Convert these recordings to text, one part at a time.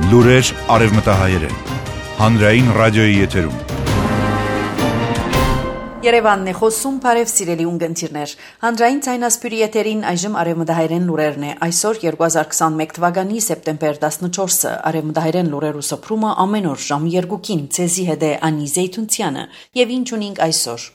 Լուրեր արևմտահայերեն, հանրային ռադիոյի եթերում։ Երևանն է խոսում, բարև սիրելի ունգընտիրներ։ Հանրային ցայնասպյուրի եթերին այժմ արևմտահայերեն լուրերն է։ Այսօր 2021 թվականի սեպտեմբեր 14-ը արևմտահայերեն լուրերու սփռումը ամեն օր ժամ 2-ին ցեզի հետ է Անի Զեյթունցյանը։ Եվ ինչ ունենք այսօր։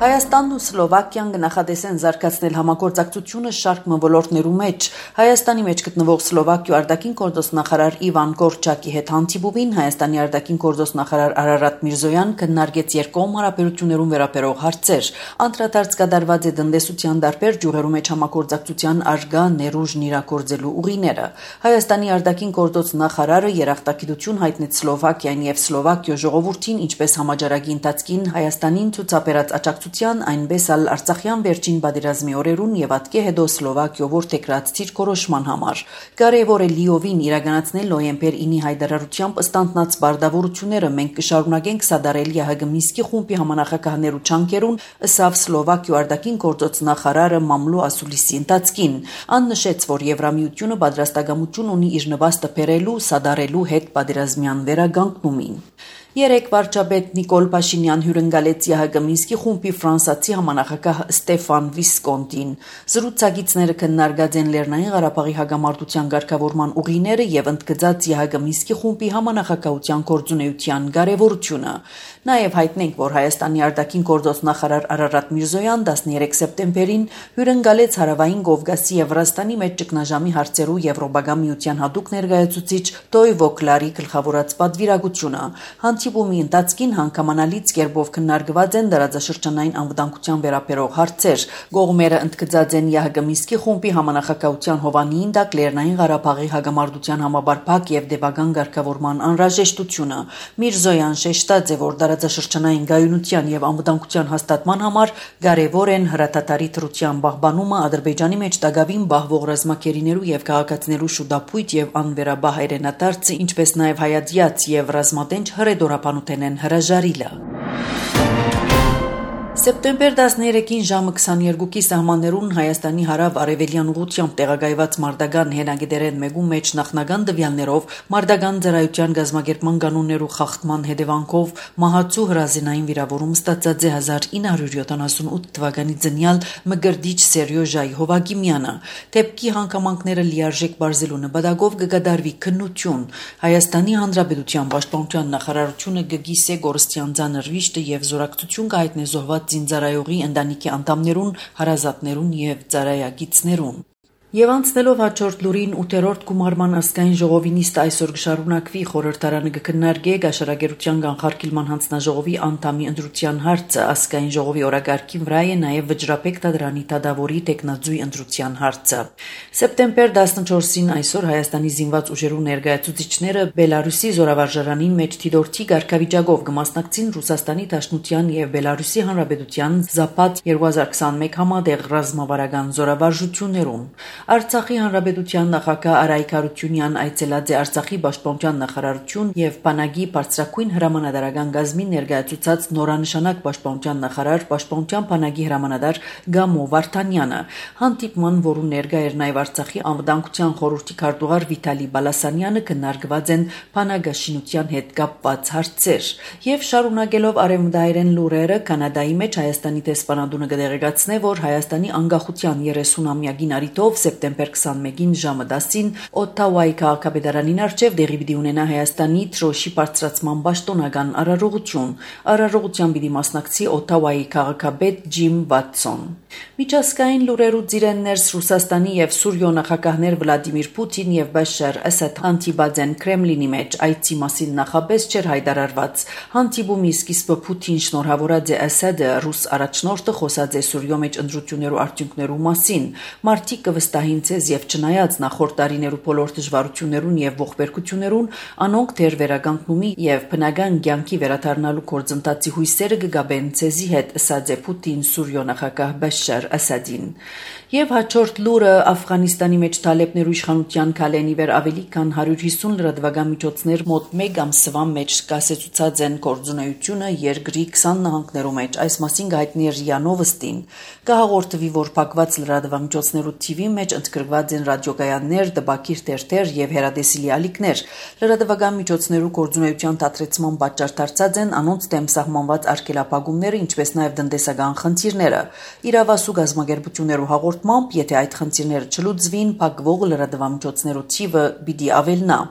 Հայաստանն ու Սլովակիան կնախադեսեն զարգացնել համագործակցությունը շարք ոլորտներու մեջ։ Հայաստանի մեջ գտնվող Սլովակիու արտաքին գործոստ նախարար Իվան Կորչակի հետ հանդիպումին Հայաստանի արտաքին գործոստ նախարար Արարատ Միրզոյան քննարկեց երկկողմ հարաբերություններուն վերաբերող հարցեր։ Անդրադարձ կատարված է տնտեսության տարբեր ջուրերու մեջ համագործակցության արգա ներուժն իրագործելու ուղիները։ Հայաստանի արտաքին գործոստ նախարարը երախտագիտություն հայտնեց Սլովակիային եւ Սլովակիո ժողովրդին, ինչպես համաճարակի ընթացքին Հայաստանին ցուցաբերած աջակցության, այնպես ալ Արցախյան վերջին պատերազմի օրերուն եւ ատկե հետո Սլովակիո որդեգրած ցիրկորոշման համար։ Կարևոր է լիովին իրականացնել նոյեմբեր 9-ի հայտարարությամբ ըստանտնած բարդավորությունները։ Մենք կշարունակենք սադարել ՀՀԳ Մինսկի խումբի համանախագահներու չանկերուն, ըսավ Սլովակիո արտաքին գործոց նախարարը Մամլու Ասուլիսի ընթացքին։ Ան նշեց, որ Եվրամիությունը պատրաստակամություն ունի իր նվաստը բերելու, սադարելու հետ պատերազմյան վերագանքումին։ Երեք վարչապետ Նիկոլ Փաշինյան հյուրընկալեց ՀՀԳ Մինսկի խումբի ֆրանսացի համանախագահ Ստեֆան Վիսկոնտին։ Զրուցակիցները քննարկած են Լեռնային Ղարաբաղի հակամարտության ղեկավարման ուղիները եւ ընդգծած ՀՀԳ Մինսկի խումբի համանախագահության գործունեության կարեւորությունը։ Նաեւ հայտնենք, որ Հայաստանի արտաքին գործոց նախարար Արարատ Միրզոյան 13 սեպտեմբերին հյուրընկալեց Հարավային Կովկասի եւ Վրաստանի մեջ ճգնաժամի հարցերու Եվրոպական միության հատուկ ներկայացուցիչ Տոյվո Կլարի գլխավորած պատվիրակությունը։ Հանդիպումի ընթացքին հանգամանալից կերպով քննարկված են դարաձաշրջանային անվտանգության վերաբերող հարցեր։ Կողմերը ընդգծած են ՀՀԳ Մինսկի խումբի համանախագահության հովանին տակ Լեռնային Ղարաբաղի հակամարտության համապարփակ եւ դեպական ղեկավարման անհրաժեշտությունը։ Միրզոյան շեշտած է, որ դարաձաշրջանային գայունության եւ անվտանգության հաստատման համար կարեւոր են հրատատարի թրության պահպանումը, Ադրբեջանի մեջ դակավին բահվող ռազմակերիներու եւ քաղաքացիներու շուտապույտ եւ անվերաբահ հայրենադարձը, ինչպես նաեւ հայացյաց եւ ռազմատենչ հրեդորապանութեն հրաժարիլը։ Սեպտեմբեր 13-ին ժամը 22-ի սահմաններուն Հայաստանի հարավ-արևելյան ուղղությամբ տեղակայված մարտական հենագետերեն մեկու մեջ նախնական տվյալներով մարտական ծառայության գազམ་ագերման կանոններու խախտման հետևանքով մահացու հրազենային վիրավորում ստացած է 1978 թվականի ծնյալ Մկրտիչ Սերյոժայ Հովակիմյանը։ Դեպքի հանգամանքները լիարժեք բարձելու նպատակով կկատարվի քննություն։ Հայաստանի Հանրապետության Պաշտպանության նախարարությունը կգիսե գորստյան ցաներ վիշտը եւ զորակցություն կհայտնի զոհված զինծառայողի ընտանիքի անդամներուն, հարազատներուն եւ ծառայագիցներուն։ Եվ անցնելով հաջորդ լուրին 8-րդ գումարման ազգային ժողովի նիստը այսօր կշարունակվի խորհրդարանը կքննարկի գաշարագերության կանխարգելման հանձնաժողովի անդամի ընտրության հարցը ազգային ժողովի օրակարգին վրա է նաև վճռապետ դադրանի դադավորի տեխնաձուի ընտրության հարցը։ Սեպտեմբեր 14-ին այսօր Հայաստանի զինված ուժերու ներկայացուցիչները Բելարուսի զորավարժարանին մեջ թիդորթի ղեկավարիչով կմասնակցին Ռուսաստանի Դաշնության եւ Բելարուսի Հանրապետության Զապատ 2021 համատեղ ռազմավարական զորավարժություններում։ Արցախի Հանրապետության նախագահ Արայք Հարությունյան այցելած է Արցախի Պաշտպանության նախարարություն եւ Պանագի բարձրակույն հրամանատարական գազմին ներկայացուցած նորանշանակ Պաշտպանության նախարար Պաշտպանության Պանագի հրամանատար Գամո Վարդանյանը։ Հանդիպման, որում ներկա էր նաեւ Արցախի անվտանգության խորհրդի քարտուղար Վիտալի Բալասանյանը, քննարկված են Պանագաշինության հետ կապված հարցեր։ Եվ շարունակելով արևմտահայերեն լուրերը, Կանադայի մեջ Հայաստանի դեսպանատունը կդեղեկացնե, որ Հայաստանի անկախության 30-ամյակին առիթով սեպտեմբեր 21-ին ժամը 10-ին Օթավայի քաղաքապետարանին առջև դեղի պիտի ունենա Հայաստանի թրոշի բարձրացման պաշտոնական արարողություն։ Արարողության պիտի մասնակցի Օթավայի քաղաքապետ Ջիմ Վաթսոն։ Միջազգային լուրերուց իրեն ներս Ռուսաստանի եւ Սուրիո նախագահներ Վլադիմիր Պուտին եւ Բաշար Ասադ հանդիպած են Կրեմլինի մեջ, այցի մասին նախապես չէր հայտարարված։ Հանդիպումի սկիզբը Պուտին շնորհավորած է Ասադը, ռուս առաջնորդը խոսած է Սուրիո մեջ ընտրություններու արդյունքներու մասին։ Մարտիկ կվստահին ցեզ եւ չնայած նախորդ տարիներու բոլոր դժվարություններուն եւ ողբերգություններուն, անոնք դեռ վերագանքումի եւ բնական կյանքի վերադառնալու գործընթացի հույսերը կգաբեն ցեզի հետ, ըսած է Պուտին Սուրիո նախագահ Բաշար Ասադին։ Եվ հաջորդ լուրը Աֆղանիստանի մեջ Թալեբներու իշխանության քալենի վեր ավելի քան 150 լրատվական միջոցներ մոտ 1 ամսվա մեջ կասեցուցած են գործունեությունը երկրի 20 նահանգներու մեջ։ Այս մասին հայտնի է ՌԻԱ Նովոստին։ Կհաղորդվի, որ փակված լրատվամիջոցներու թիվի մեջ ընդգրկված են ռադիոգայաններ, դպակիր թերթեր եւ հեռադեսիլի ալիքներ։ Լրատվական միջոցներու գործունեության դադրեցման պատճառ դարձած են անոնց դեմ սահմանված արգելափակումները, ինչպես նաեւ տնտեսական խնդիրները։ Իրավասու գազམ་ագերբություններու հաղորդմամբ, եթե այդ խնդիրները չլուծվին, փակվող լրատվամիջոցներու թիվը պիտի ավելնա։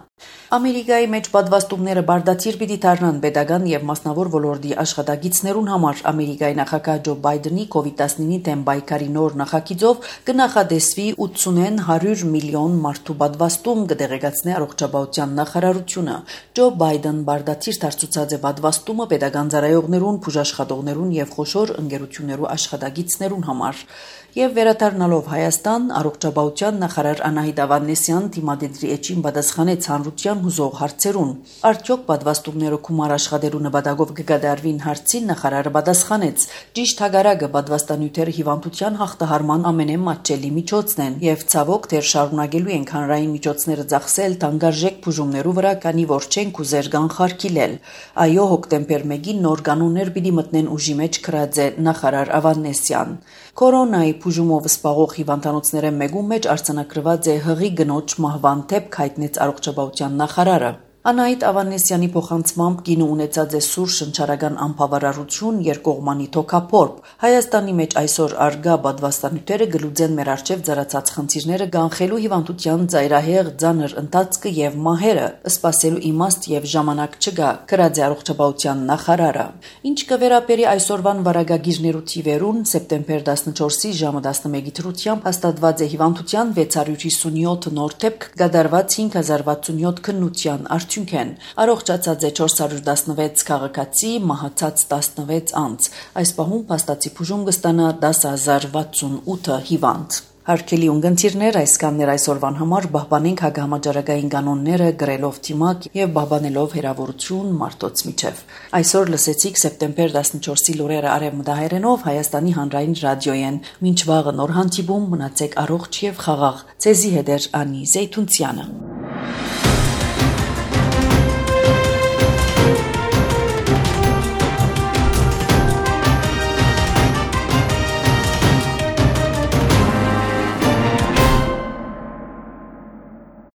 Ամերիկայի մեջ պատվաստումները բարդացիր պիտի դառնան պետական եւ մասնավոր ոլորտի աշխատակիցներուն համար։ Ամերիկայի նախագահ Ջո Բայդենի COVID-19-ի դեմ պայքարի նոր նախագիծով կնախադեсվի 80-ն 100 միլիոն մարդու պատվաստում, կդեղեկացնի առողջապահության նախարարությունը։ Ջո Բայդեն բարդացիր դարձուցած է պատվաստումը պետական ծառայողներուն, բուժաշխատողներուն եւ խոշոր ընկերություններու աշխատակիցներուն համար։ Եվ վերադառնալով Հայաստան, առողջապահության նախարար Անահիտ Ավանեսյան դիմադեդրի էջին պատասխանեց հանրության հուզող հարցերուն։ Արդյոք պատվաստումները գումար աշխատելու նպատակով կկատարվին հարցին նախարարը պատասխանեց. ճիշտ հակառակը, պատվաստանյութերը հիվանդության հաղթահարման ամենամատչելի միջոցն են եւ ցավոք դեռ շարունակելու ենք հանրային միջոցները ծախսել թանկարժեք բուժումներու վրա, քանի որ չենք ուզեր կանխարգելել։ Այո, հոկտեմբեր 1-ին նոր կանոններ պիտի մտնեն ուժի մեջ գրած է նախարար Ավանեսյան։ Կորոնայի բուժումով սպաղող հիվանդանոցները մեկում մեջ արձանագրված է հղի գնոջ մահվան դեպք, հայտնեց առողջապահության նախարարը։ Անահիտ Ավանեսյանի փոխանցմամբ կինը ունեցած է սուր շնչարական անբավարարություն, երկկողմանի թոքափորբ։ Հայաստանի մեջ այսօր արգա պատվաստանյութերը գլուծեն մեր արչև ծառացած խնդիրները կանխելու հիվանդության ծայրահեղ ծանր ընթացքը եւ մահերը, սպասելու իմաստ եւ ժամանակ չկա, գրած է առողջապահության նախարարը։ Ինչ կվերապերի այսօրվան վարակագիրներու թիվերուն, սեպտեմբեր 14-ի ժամը 11-ի դրությամբ հաստատված է հիվանդության 657 նոր դեպք, կատարված 5067 քննության Առողջացած է 416 քաղաքացի, մահացած 16 անձ։ Այս պահում փաստացի բուժում կստանա 10068 հիվանդ։ Հարգելի ունգընտիրներ, այսքաններ այսօրվան համար պահպանենք հակահամաճարակային կանոնները, գրելով թիմակ եւ պահպանելով հերավորություն մարդոց միջև։ Այսօր լսեցիք սեպտեմբեր 14-ի լուրերը արևմտահայերենով Հայաստանի հանրային ռադիոյեն։ Մինչ վաղը նոր հանդիպում, մնացեք առողջ եւ խաղաղ։ Ձեզի հետ է Անի Զեյթունցյանը։